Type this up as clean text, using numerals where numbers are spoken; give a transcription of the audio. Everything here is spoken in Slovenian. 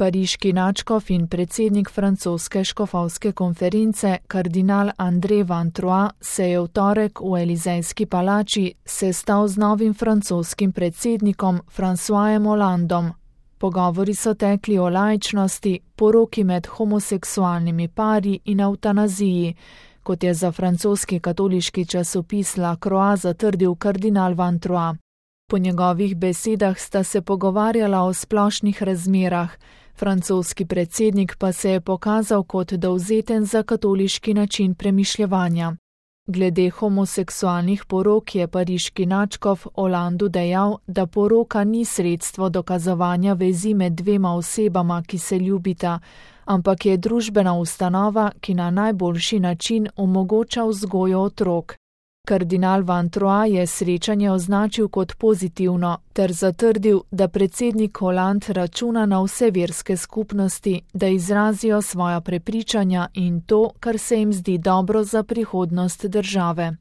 Pariški nadškof in predsednik francoske škofovske konference, kardinal André Van Troyes, se je v torek v Elizejski palači sestal z novim francoskim predsednikom Françoisem Hollandom. Pogovori so tekli o laičnosti, poroki med homoseksualnimi pari in evtanaziji, kot je za francoski katoliški časopis La Croix zatrdil kardinal Van Troyes. Po njegovih besedah sta se pogovarjala o splošnih razmerah, francoski predsednik pa se je pokazal kot dovzeten za katoliški način premišljevanja. Glede homoseksualnih porok je pariški nadškof Hollandu dejal, da poroka ni sredstvo dokazovanja vezi med dvema osebama, ki se ljubita, ampak je družbena ustanova, ki na najboljši način omogoča vzgojo otrok. Kardinal Van Troyes je srečanje označil kot pozitivno ter zatrdil, da predsednik Holland računa na vse verske skupnosti, da izrazijo svoja prepričanja in to, kar se jim zdi dobro za prihodnost države.